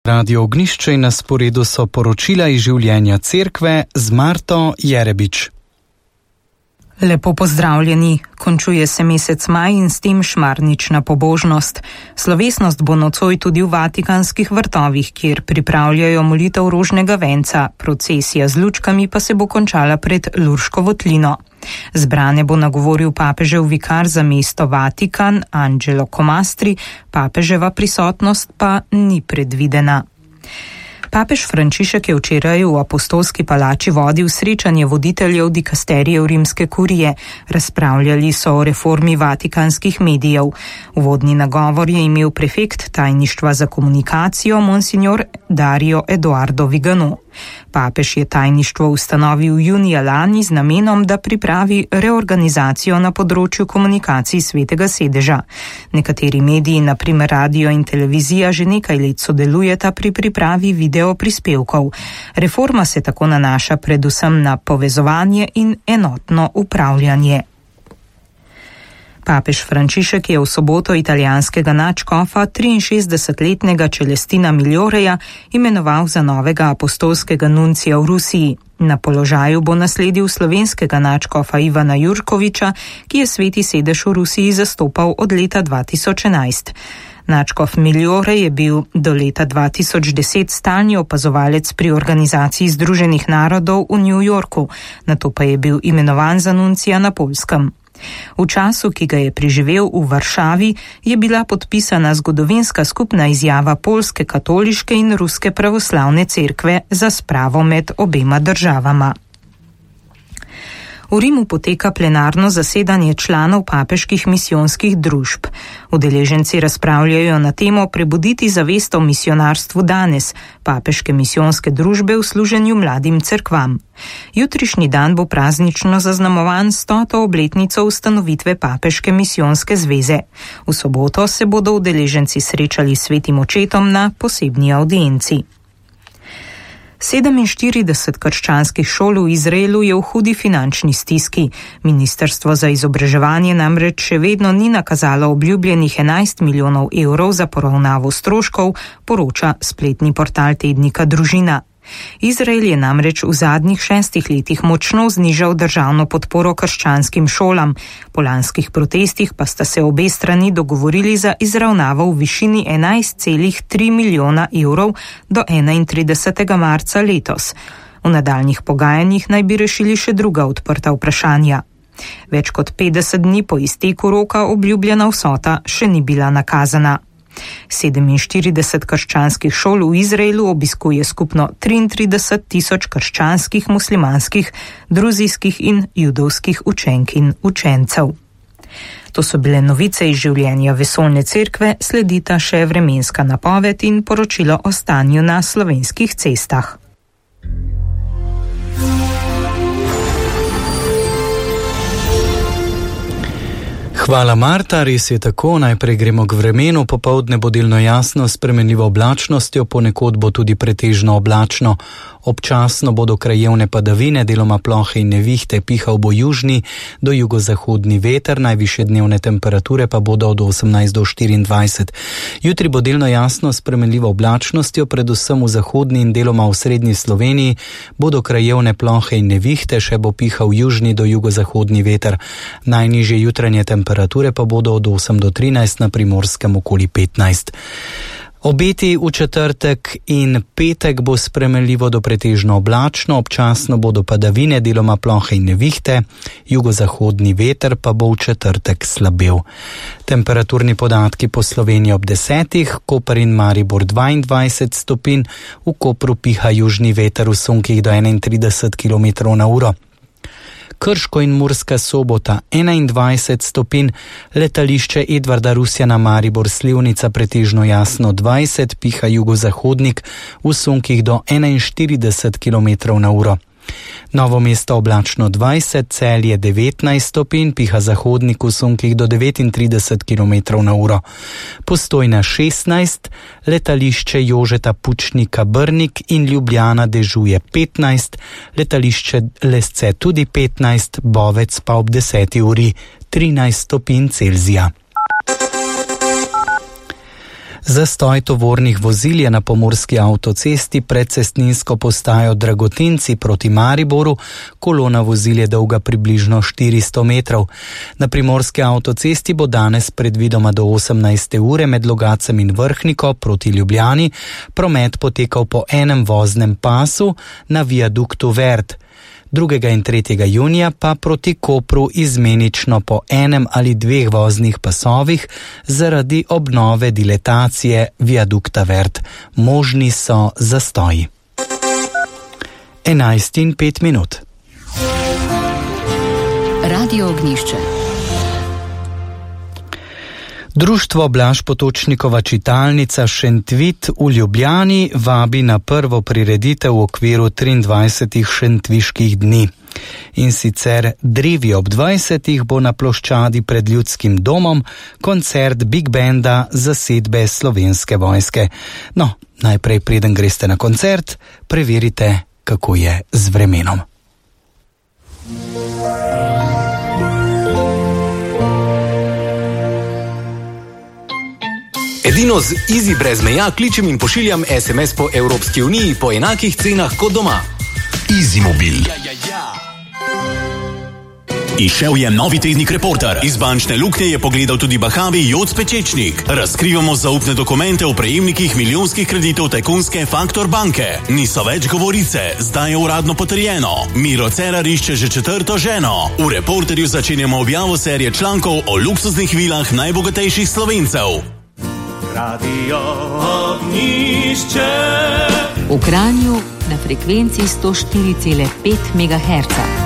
Radio Ognjišče in na sporedu so poročila iz življenja cerkve z Marto Jerebič. Lepo pozdravljeni, končuje se mesec maj in s tem šmarnična pobožnost. Slovesnost bo nocoj tudi v Vatikanskih vrtovih, kjer pripravljajo molitev rožnega venca, procesija z lučkami pa se bo končala pred Lurško votlino. Zbrane bo nagovoril papežev vikar za mesto Vatikan, Angelo Comastri, papeževa prisotnost pa ni predvidena. Papež Frančišek je včeraj v Apostolski palači vodil srečanje voditeljev dikasterijev rimske kurije. Razpravljali so o reformi vatikanskih medijev. Uvodni nagovor je imel prefekt tajništva za komunikacijo monsignor Dario Eduardo Vigano. Papež je tajništvo ustanovil junija lani z namenom, da pripravi reorganizacijo na področju komunikacij Svetega sedeža. Nekateri mediji, na primer radio in televizija, že nekaj let sodelujeta pri pripravi video prispevkov. Reforma se tako nanaša predvsem na povezovanje in enotno upravljanje. Papež Frančišek je v soboto italijanskega nadškofa 63-letnega Celestina Miglioreja imenoval za novega apostolskega nuncija v Rusiji. Na položaju bo nasledil slovenskega nadškofa Ivana Jurkoviča, ki je Sveti sedež v Rusiji zastopal od leta 2011. Nadškof Migliorej je bil do leta 2010 stalni opazovalec pri Organizaciji Združenih narodov v New Yorku, nato pa je bil imenovan za nuncija na Poljskem. V času, ki ga je preživel v Varšavi, je bila podpisana zgodovinska skupna izjava Poljske katoliške in Ruske pravoslavne cerkve za spravo med obema državama. V Rimu poteka plenarno zasedanje članov papeških misijonskih družb. Udeleženci razpravljajo na temo Prebuditi zavest o misionarstvu danes, papeške misijonske družbe v služenju mladim cerkvam. Jutrišnji dan bo praznično zaznamovan 100. obletnico ustanovitve papeške misijonske zveze. V soboto se bodo udeleženci srečali s svetim očetom na posebni audienci. 47 krščanskih šol v Izraelu je v hudi finančni stiski. Ministrstvo za izobraževanje namreč še vedno ni nakazalo obljubljenih 11 milijonov evrov za poravnavo stroškov, poroča spletni portal tednika Družina. Izrael je namreč v zadnjih 6 letih močno znižal državno podporo krščanskim šolam. Po lanskih protestih pa sta se obe strani dogovorili za izravnavo v višini 11,3 milijona evrov do 31. marca letos. V nadaljnjih pogajanjih naj bi rešili še druga odprta vprašanja. Več kot 50 dni po izteku roka obljubljena vsota še ni bila nakazana. 47 krščanskih šol v Izraelu obiskuje skupno 33 tisoč krščanskih, muslimanskih, druzijskih in judovskih učenk in učencev. To so bile novice iz življenja vesoljne cerkve, sledita še vremenska napoved in poročilo o stanju na slovenskih cestah. Hvala Marta, res je tako, najprej gremo k vremenu, popoldne bo delno jasno, s spremenljivo oblačnostjo, ponekod bo tudi pretežno oblačno. Občasno bodo krajevne padavine, deloma plohe in nevihte, pihal bo južni do jugozahodni veter, najvišje dnevne temperature pa bodo od 18 do 24. Jutri bo delno jasno, s spremenljivo oblačnostjo, predvsem v zahodni in deloma v srednji Sloveniji bodo krajevne plohe in nevihte, še bo pihal južni do jugozahodni veter. Najnižje jutranje temperature pa bodo od 8 do 13, na Primorskem okoli 15. Obeti v četrtek in petek bo spremenljivo do pretežno oblačno, občasno bodo padavine, deloma plohe in nevihte, jugozahodni veter pa bo v četrtek slabel. Temperaturni podatki po Sloveniji ob 10, Koper in Maribor 22 stopinj, v Kopru piha južni veter v sunkih do 31 km/h. Krško in Murska Sobota 21 stopinj, letališče Edvarda Rusjana Maribor Slivnica pretežno jasno 20, piha jugozahodnik v sunkih do 41 km/h. Novo Mesto oblačno 20, Celje 19 stopinj, piha zahodnik v sunkih do 39 km/h. Postojna 16, letališče Jožeta Pučnika Brnik in Ljubljana dežuje 15, letališče Lesce tudi 15, Bovec pa ob 10 uri 13 stopinj Celzija. Zastoj tovornih vozil je na pomurski avtocesti pred cestninsko postajo Dragotinci proti Mariboru, kolona vozil je dolga približno 400 metrov. Na primorski avtocesti bo danes predvidoma do 18. ure med Logacem in Vrhniko proti Ljubljani promet potekal po enem voznem pasu na viaduktu Vert. 2. in 3. junija pa proti Kopru izmenično po enem ali dveh voznih pasovih zaradi obnove diletacije viadukta Vert. Možni so zastoji. 11:05. Radio Ognjišče. Društvo Blaž Potočnikova čitalnica Šentvit v Ljubljani vabi na prvo prireditev v okviru 23 šentviških dni. In sicer drevi ob 20 bo na ploščadi pred Ljudskim domom koncert Big Banda zasedbe Slovenske vojske. No, najprej preden greste na koncert, preverite, kako je z vremenom. Edino z Easy brez meja kličem in pošiljam SMS po Evropski uniji po enakih cenah kot doma. Easy Mobil. Izšel je novi tednik Reporter. Iz bančne luknje je pogledal tudi bahavi Joc Pečečnik. Razkrivamo zaupne dokumente o prejemnikih milijonskih kreditov tajkunske Faktor banke. Niso več govorice, zdaj je uradno potrjeno. Miro Cerar išče že 4. ženo. V Reporterju začenjamo objavo serije člankov o luksuznih vilah najbogatejših Slovencev. Radio Ognjišče. V Kranju na frekvenci 104,5 MHz.